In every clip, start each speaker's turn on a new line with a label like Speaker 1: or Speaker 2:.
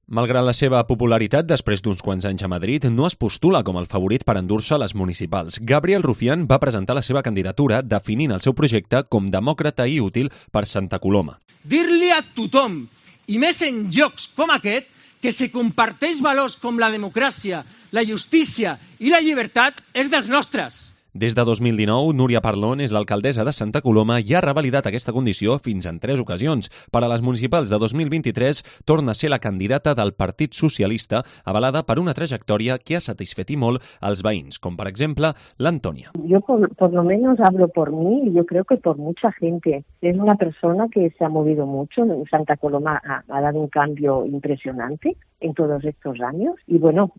Speaker 1: Malgrat la seva popularitat després d'uns quants anys a Madrid, no es postula com el favorit per endur-se les municipals. Gabriel Rufián va presentar la seva candidatura definint el seu projecte com demòcrata i útil per Santa Coloma.
Speaker 2: Dir-li a tothom, i més en llocs com aquest, que se comparteix valors com la democràcia, la justícia i la llibertat és dels nostres.
Speaker 1: Des de 2019, Núria Parlon és l'alcaldessa de Santa Coloma i ha revalidat aquesta condició fins en 3 ocasions. Per a les municipals de 2023, torna a ser la candidata del Partit Socialista, avalada per una trajectòria que ha satisfet i molt als veïns, com per exemple l'Antònia.
Speaker 3: Yo por lo menos hablo por mí y yo creo que por mucha gente. Es una persona que se ha movido mucho. Santa Coloma ha dado un cambio impresionante en todos estos años. Y bueno,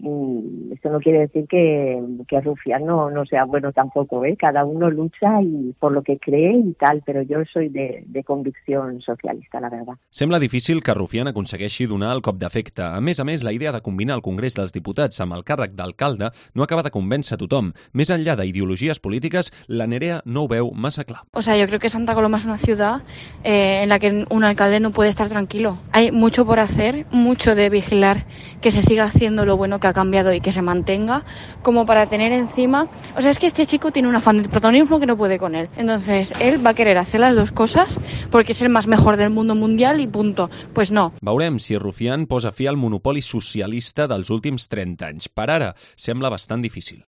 Speaker 3: esto no quiere decir que Rufián no sea bueno tampoco, ¿eh? Cada uno lucha y por lo que cree y tal, pero yo soy de convicción socialista, la verdad.
Speaker 1: Sembla difícil que Rufián aconsegueixi donar el cop d'efecte. A més, la idea de combinar el Congrés dels Diputats amb el càrrec d'alcalde no acaba de convèncer a tothom. Més enllà d'ideologies polítiques, la Nerea no ho veu massa clar.
Speaker 4: O sea, yo creo que Santa Coloma es una ciudad en la que un alcalde no puede estar tranquilo. Hay mucho por hacer, mucho de vigilar que se siga haciendo lo bueno que ha cambiado y que se mantenga, como para tener encima... O sea, es que este chico tiene un afán de protagonismo que no puede con él. Entonces, él va a querer hacer las dos cosas porque es el más mejor del mundo mundial y punto. Pues no.
Speaker 1: Veurem si Rufián posa fi al monopoli socialista dels últims 30 anys. Per ara, sembla bastant difícil.